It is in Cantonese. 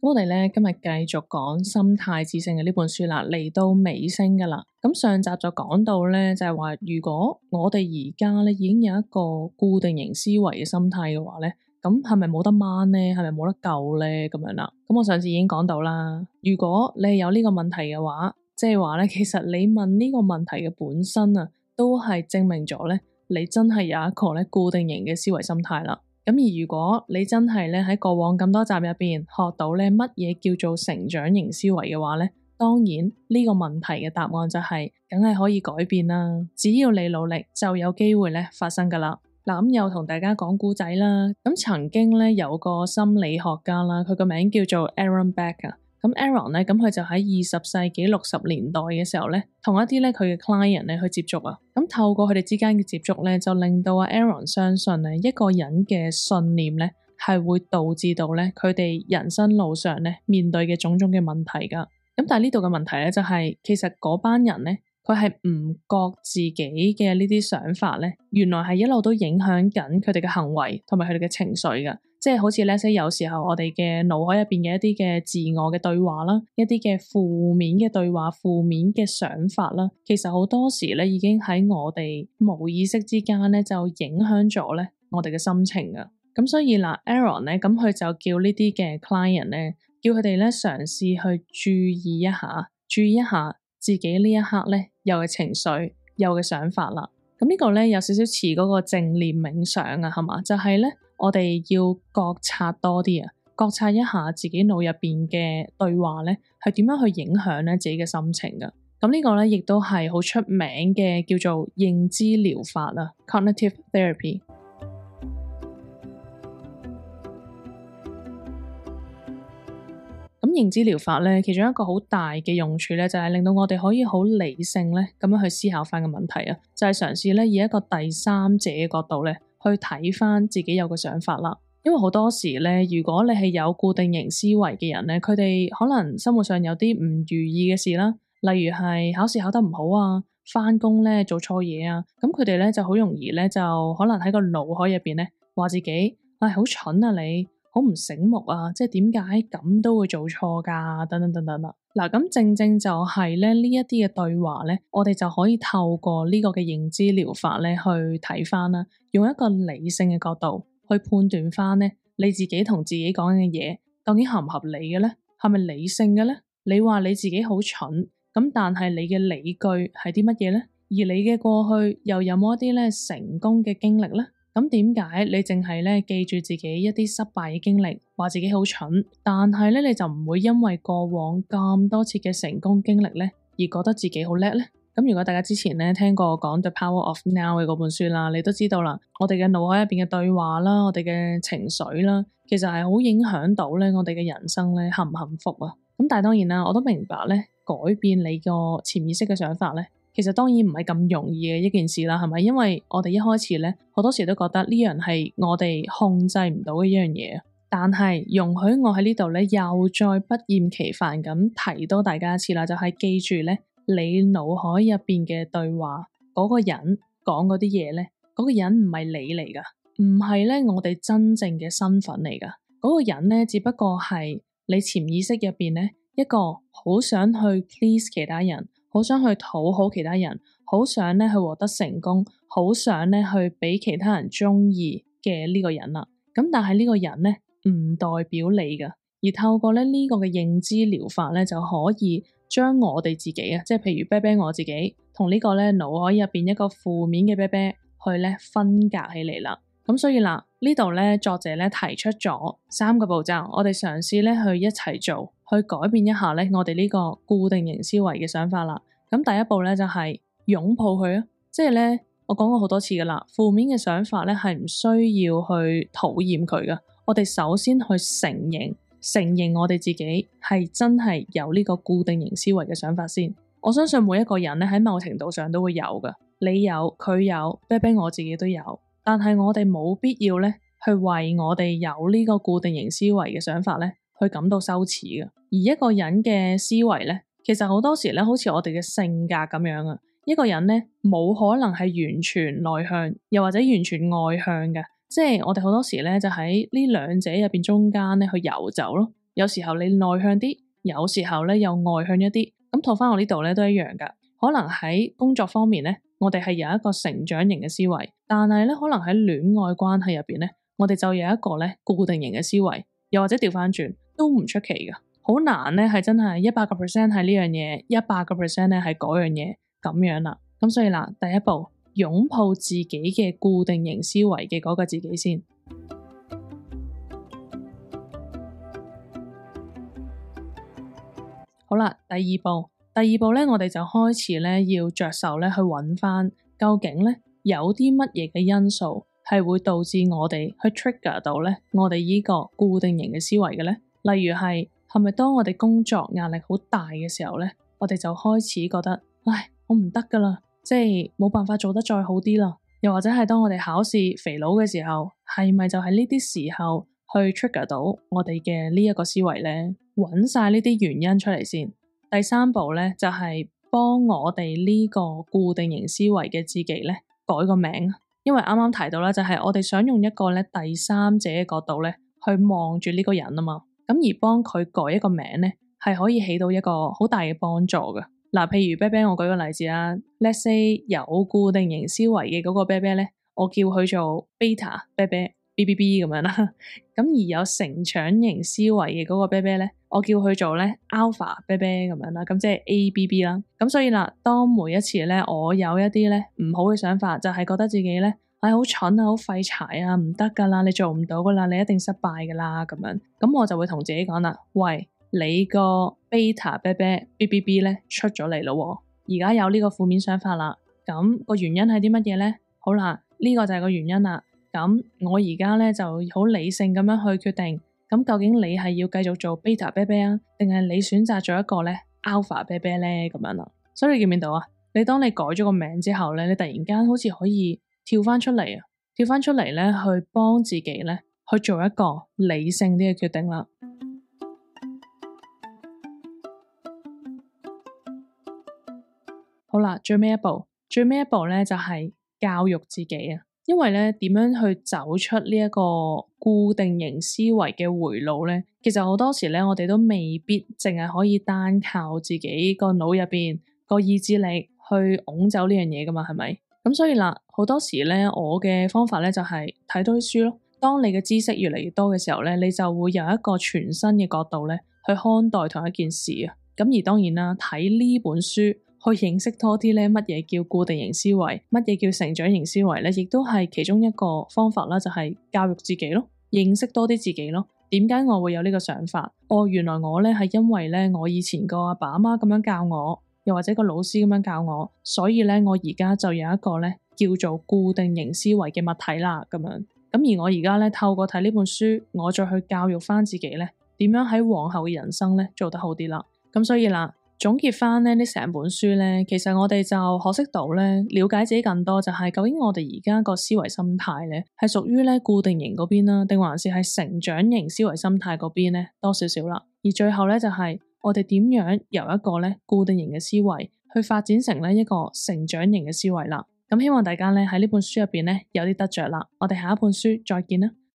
我哋咧今日繼續講《心態致勝》嘅呢本書啦，嚟到尾聲噶啦。咁上集就講到咧，就係話如果我哋而家咧已經有一個固定型思維嘅心態嘅話咧，咁係咪冇得掹咧？係咪冇得救咧？咁樣啦。咁我上次已經講到啦，如果你係有呢個問題嘅話，即係話咧，其實你問呢個問題嘅本身啊，都係證明咗咧，你真係有一個咧固定型嘅思維心態啦。咁而如果你真係咧喺過往咁多集入邊學到咧乜嘢叫做成長型思維嘅話咧，當然呢個問題嘅答案就係梗係可以改變啦。只要你努力，就有機會咧發生噶啦。嗱，咁又同大家講故仔啦。咁曾經咧有個心理學家啦，佢個名叫做 Aaron Beck 啊。咁 Aaron 咧，咁佢就喺20世紀60年代嘅時候咧，同一啲咧佢嘅 client 咧去接觸啊。咁透過佢哋之間嘅接觸咧，就令到阿 Aaron 相信咧，一個人嘅信念咧係會導致到咧佢哋人生路上咧面對嘅種種嘅問題噶。咁但係呢度嘅問題咧就係，其實嗰班人咧佢係唔覺自己嘅呢啲想法咧，原來係一路都影響緊佢哋嘅行為同埋佢哋嘅情緒噶。即係好似咧，有時候我哋嘅腦海入邊嘅一啲嘅自我嘅對話啦，一啲嘅負面嘅對話、負面嘅想法啦，其實好多時咧已經喺我哋無意識之間咧就影響咗咧我哋嘅心情噶。咁所以嗱，Aaron 咧，咁佢就叫呢啲嘅 client 咧，叫佢哋咧嘗試去注意一下自己呢一刻咧有嘅情緒、有嘅想法啦。咁呢個咧有少少似嗰個正念冥想啊，係嘛？就係咧。我哋要覺察多啲啊，覺察一下自己腦入邊嘅對話咧，係點樣去影響咧自己嘅心情噶。咁呢個咧亦都係好出名嘅叫做認知療法啊 （cognitive therapy）。咁認知療法咧，其中一個好大嘅用處咧，就係令到我哋可以好理性咧咁樣去思考翻個問題啊，就係嘗試咧以一個第三者嘅角度咧。去睇翻自己有個想法啦，因為好多時咧，如果你係有固定型思維嘅人咧，佢哋可能生活上有啲唔如意嘅事啦，例如係考試考得唔好啊，翻工咧做錯嘢啊，咁佢哋咧就好容易咧就可能喺個腦海入邊咧話自己好蠢啊，你好唔醒目啊，即係點解咁都會做錯噶，等等等等啦。嗱，咁正正就係咧呢一啲嘅對話咧，我哋就可以透過呢個嘅認知療法咧去睇翻啦，用一個理性嘅角度去判斷翻咧你自己同自己講嘅嘢究竟合唔合理嘅咧，係咪理性嘅咧？你話你自己好蠢，咁但係你嘅理據係啲乜嘢咧？而你嘅過去又有冇一啲咧成功嘅經歷咧？咁點解你淨係咧記住自己一啲失敗嘅經歷，話自己好蠢，但係咧你就唔會因為過往咁多次嘅成功經歷咧而覺得自己好叻咧？咁如果大家之前咧聽過講 The Power of Now 嘅嗰本書啦，你都知道啦，我哋嘅腦海入邊嘅對話啦，我哋嘅情緒啦，其實係好影響到咧我哋嘅人生咧幸唔幸福啊？咁但係當然啦，我都明白咧改變你個潛意識嘅想法咧。其實當然唔係咁容易嘅一件事啦，係咪？因為我哋一開始咧，好多時都覺得呢樣係我哋控制唔到嘅一樣嘢。但係容許我喺呢度咧，又再不厭其煩咁提多大家一次啦，就係記住咧，你腦海入邊嘅對話，嗰個人講嗰啲嘢咧，嗰個人唔係你嚟噶，唔係咧我哋真正嘅身份嚟噶。嗰個人咧，只不過係你潛意識入邊咧一個好想去 please 其他人。好想去討好其他人，好想咧去獲得成功，好想咧去俾其他人中意嘅呢個人啦。咁但係呢個人咧唔代表你噶，而透過咧呢個嘅認知療法咧就可以將我哋自己啊，即係譬如啤啤我自己同呢個咧腦海入邊一個負面嘅啤啤去咧分隔起嚟啦。咁所以嗱，呢度咧作者咧提出咗3個步驟，我哋嘗試咧去一齊做，去改變一下咧我哋呢個固定型思維嘅想法啦。咁第一步咧就係擁抱佢啊，即係咧我講過好多次噶啦，負面嘅想法咧係唔需要去討厭佢噶，我哋首先去承認我哋自己係真係有呢個固定型思維嘅想法先。我相信每一個人咧喺某程度上都會有噶，你有，佢有，啤啤我自己都有。但係我哋冇必要咧，去為我哋有呢個固定型思維嘅想法咧，去感到羞恥嘅。而一個人嘅思維咧，其實好多時咧，好似我哋嘅性格咁樣啊。一個人咧，冇可能係完全內向，又或者完全外向嘅。即係我哋好多時咧，就喺呢兩者入邊中間咧去游走咯。有時候你內向啲，有時候咧又外向一啲。咁套翻我呢度咧都一樣噶。可能喺工作方面咧，我哋係有一個成長型嘅思維，但係咧可能喺戀愛關係入邊咧，我哋就有一個咧固定型嘅思維，又或者調翻轉都唔出奇噶。好難咧係真係100%係呢樣嘢，100%咧係嗰樣嘢咁樣啦。咁所以嗱，第一步擁抱自己嘅固定型思維嘅嗰個自己先。好啦，第二步咧，我哋就開始咧要着手咧去揾翻究竟咧有啲乜嘢嘅因素係會導致我哋去 trigger 到咧我哋呢個固定型嘅思維嘅咧。例如係咪當我哋工作壓力好大嘅時候咧，我哋就開始覺得唉，我唔得噶啦，即係冇辦法做得再好啲啦。又或者係當我哋考試肥佬嘅時候，係咪就係呢啲時候去 trigger 到我哋嘅呢一個思維咧？揾晒呢啲原因出嚟先。第三步咧就係幫我哋呢個固定型思維嘅自己咧改個名，因為啱啱提到啦，就係我哋想用一個咧第三者嘅角度咧去望住呢個人啊嘛，咁而幫佢改一個名咧係可以起到一個好大嘅幫助嘅。嗱，譬如啤啤，我舉個例子啦，let's say 有固定型思維嘅嗰個啤啤咧，我叫佢做 beta 啤啤。BBB 咁樣啦，咁而有成長型思維嘅嗰個啤啤咧，我叫佢做咧 Alpha 啤啤咁樣啦，咁即係 ABB 啦。咁所以啦，當每一次咧我有一啲咧唔好嘅想法，就係覺得自己咧好蠢啊，好廢柴啊，唔得噶啦，你做唔到噶啦，你一定失敗噶啦咁樣，咁我就會同自己講啦，喂，你個 Beta 啤啤 BBB 咧出咗嚟咯，而家有呢個負面想法啦，咁個原因係啲乜嘢咧？好啦，呢個就係個原因啦。咁我而家咧就好理性咁樣去決定，咁究竟你係要繼續做 beta 啤啤啊，定係你選擇咗一個咧 alpha 啤啤咧咁樣啦？所以你見唔見到啊？你當你改咗個名之後咧，你突然間好似可以跳翻出嚟咧，去幫自己咧去做一個理性啲嘅決定啦。好啦，最尾一步咧就係教育自己啊。因為咧，點樣去走出呢一個固定型思維嘅回路咧？其實好多時咧，我哋都未必淨係可以單靠自己個腦入邊個意志力去拱走呢樣嘢噶嘛，係咪？咁所以啦，好多時咧，我嘅方法咧就係睇多啲書咯。當你嘅知識越嚟越多嘅時候咧，你就會有一個全新嘅角度咧去看待同一件事啊。咁而當然啦，睇呢本書，去認識多啲咧，乜嘢叫固定型思維，乜嘢叫成長型思維咧，亦都係其中一個方法啦，就係教育自己咯，認識多啲自己咯。點解我會有呢個想法？原來我咧係因為咧我以前個阿爸阿媽咁樣教我，又或者個老師咁樣教我，所以咧我而家就有一個咧叫做固定型思維嘅物體啦，咁樣。咁而我而家咧透過睇呢本書，我再去教育翻自己咧，點樣喺往後嘅人生咧做得好啲啦。咁所以啦。總結翻呢成本書咧，其實我哋就學識到咧，了解自己更多，就係究竟我哋而家個思維心態咧，係屬於咧固定型嗰邊啦，定還是係成長型思維心態嗰邊咧多少少啦。而最後咧就係我哋點樣由一個咧固定型嘅思維去發展成咧一個成長型嘅思維啦。咁希望大家咧喺呢本書入邊咧有啲得着啦。我哋下一本書再見啦。